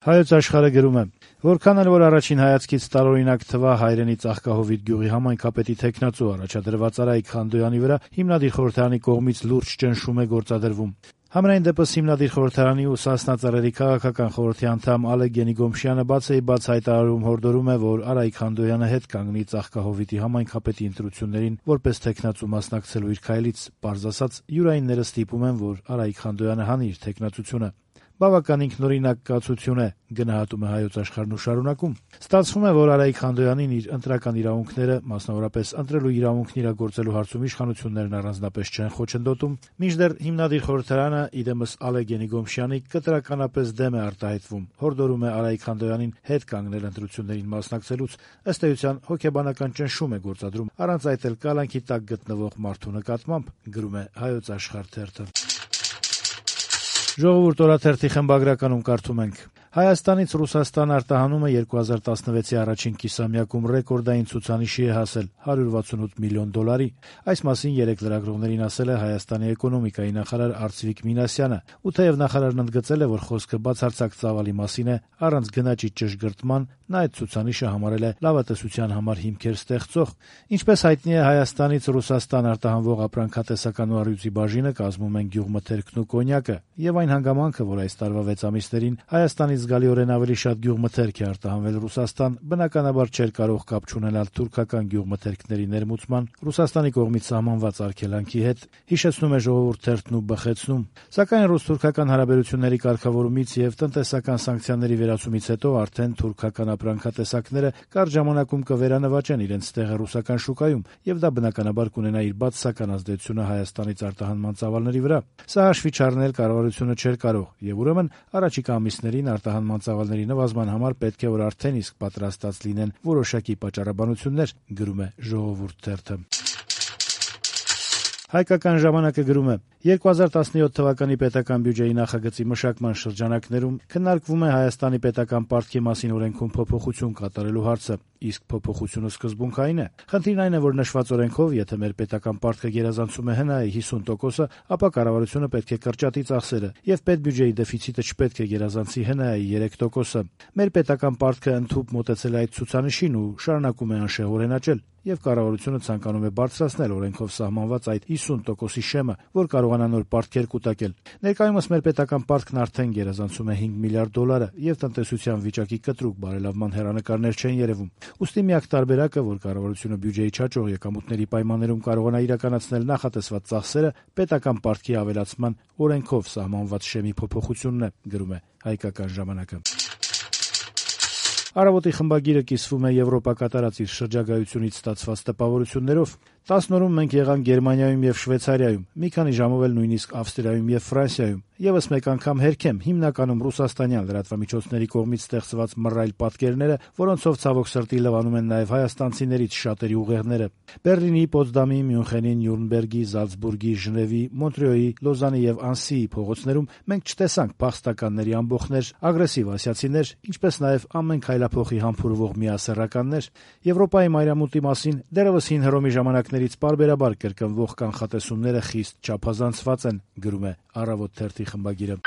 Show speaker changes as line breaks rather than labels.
Հայոց աշխարհը գրում է. «Որքան էլ որ առաջին հայացքից տարօրինակ թվա հայրենի Ծաղկահովիտ գյուղի համայնքապետի թեկնածու առաջադրված Արայիկ Խանդոյանի վրա հիմնադիր խորհրդարանի կողմից լուրջ ճնշում է գործադրվում։ Համենայն դեպս հիմնադիր խորհրդարանի ու Սասնա ծառերի քաղաքական խորհրդի անդամ Ալեկ Գենիգոմշյանը բաց հայտարարում հորդորում է, որ Արայիկ Խանդոյանը հետ կանգնի Ծաղկահովիտի համայնքապետի ընտրություններին որպես թեկնածու մասնակցելու իր քայլից, պարզ ասած, յուրայինները ստիպում են, որ Արայիկ Խանդոյանը հանի իր թեկնածությունը։ Բավական ինքնօրինակ կացություն է», գնահատում է Հայոց աշխարհն ու շարունակում. «Ստացվում է, որ Արայիկ Խանդոյանին իր ընտրական իրավունքները, մասնավորապես ընտրելու իրավունքն իրագործելու հարցում իշխանություններն առանձնապես չեն խոչընդոտում, մինչդեռ հիմնադիր խորհրդարանը, իդեմս Ալեկ Գենիգոմշյանի, կտրականապես դեմ է արտահայտվում, հորդորում է Արայիկ Խանդոյանին հետ կանգնել ընտրություններին մասնակցելուց, ըստ էության հոգեբանական ճնշում է գործադրում, առանց այդ էլ կալանքի տակ գտնվող մարդու նկատմամբ», գրում է Հայոց աշխարհ թերթը։ «Ժողովուրդ» օրաթերթի խմբագրականում կարդում ենք. «Հայաստանից Ռուսաստան արտահանումը 2016-ի առաջին կիսամյակում ռեկորդային ցուցանիշի է հասել՝ $168 միլիոն։ Այս մասին երեկ լրագրողներին ասել է Հայաստանի էկոնոմիկայի նախարար Արծվիկ Մինասյանը, ու թեև նախարարն ընդգծել է, որ խոսքը բացարձակ ծավալի մասին է, առանց գնաճի ճշգրտման, նա այդ ցուցանիշը համարել է լավատեսության համար հիմքեր ստեղծող։ Ինչպես հայտնի է, Հայաստանից Ռուսաստան արտահանվող ապրանքատեսական ու առյուծի բաժինը կազմում են գյուղմթերքն ու կոնյակը, եւ այն հանգամանքը, որ այս տարվա 6 ամիսներին Հայաստանից զգալիորեն ավելի շատ գյուղմթերք է արտահանվել Ռուսաստան, բնականաբար չէր կարող կապ չունենալ թուրքական գյուղմթերքների ներմուծման, Ռուսաստանի կողմից սահմանված արգելանքի հետ», հիշեցնում է Ժողովուրդ թերթն ու բխեցնում. «Սակայն ռուս-թուրքական հարաբերությունների կարգավորումից եւ տնտեսական սանկցիաների վերացումից հետո արդեն թուրքական ապրանքատեսակները կարճ ժամանակում կվերանվաճեն իրենց տեղը ռուսական շուկայում, եւ դա բնականաբար կունենա իր բացասական ազդեցությունը Հայաստանից արտահանման ծավալների վրա։ Սա հաշվի չառնել կառավարությունը չէր կարող, եւ ուրեմն առաջիկա ամիսներին արտահանման ծավալների նվազման համար պետք է որ արդեն իսկ պատրաստած լինեն որոշակի պատճառաբանություններ», գրում է Ժողովուրդ թերթը։ Հայկական ժամանակը գրում է. 2017 թվականի պետական բյուջեի նախագծի մշակման շրջանակներում քննարկվում է Հայաստանի պետական պարտքի մասին օրենքում փոփոխություն կատարելու հարցը, իսկ փոփոխությունը սկզբունքային է։ Խնդիրն այն է, որ նշված օրենքով, եթե մեր պետական պարտքը գերազանցում է ՀՆԱ-ի 50%, ապա կառավարությունը պետք է կրճատի ծախսերը, եւ պետբյուջեի դեֆիցիտը չպետք է գերազանցի ՀՆԱ-ի 3%-ը։ Մեր պետական պարտքը ընդհուպ մոտեցել է այդ ցուցանիշին ու շարունակում է անշեղորեն աճել, եւ կառավարությունը ցանկանում է բարձրացնել օրենքով սահմանված այդ 50%-ի շեմը, որ կարողանա նոր պարտքեր կուտակել։ Ներկայումս մեր պետական պարտքն արդեն գերազանցում է $5 միլիարդ, եւ տնտեսության վիճակի կտրուկ բարելավման հեռանկարներ չեն երևում։ Ուստի միակ տարբերակը, որ կառավարությունը բյուջեի չաճող եկամուտների պայմաններում կարողանա իրականացնել նախատեսված ծախսերը, պետական պարտքի ավելացման օրենքով սահմանված շեմի փոփոխությունն է, գրում է Հայկական ժամանակը։ Առավոտի խմբագիրը կիսվում է Եվրոպա կատարած իր շրջագայությունից ստացված տպավորություններով։ 10 օրում մենք եղանք Գերմանիայում եւ Շվեյցարիայում, մի քանի ժամով էլ նույնիսկ Ավստրիայում եւ Ֆրանսիայում։ Եվս մեկ անգամ հերքեմ հիմնականում ռուսաստանյան լրատվամիջոցների կողմից ստեղծված մռայլ պատկերները, որոնցով ցավոք սրտի լվանում են նաեւ հայաստանցիներից շատերի ուղեղները։ Բերլինի, Պոտսդամի, Մյունխենի, Նյուրնբերգի, Զալցբուրգի, Ժնևի, Մոնտրեոյի, Լոզանի եւ Անսիի փողոցներում մենք չտեսանք փախստականների ամբոխներ, ագրեսիվ ասիացիներ, ինչպես նաեւ ամեն քայլափոխի համբուրվող միասեռականներ։ Եվրոպայի մայրամուտի մասին դեռևս հին Հռոմի ժամանակներից պարբերաբար կրկնվող կանխատեսումները խիստ չափազանցված են, գրում է Առավոտ թերթի խմբագիրը։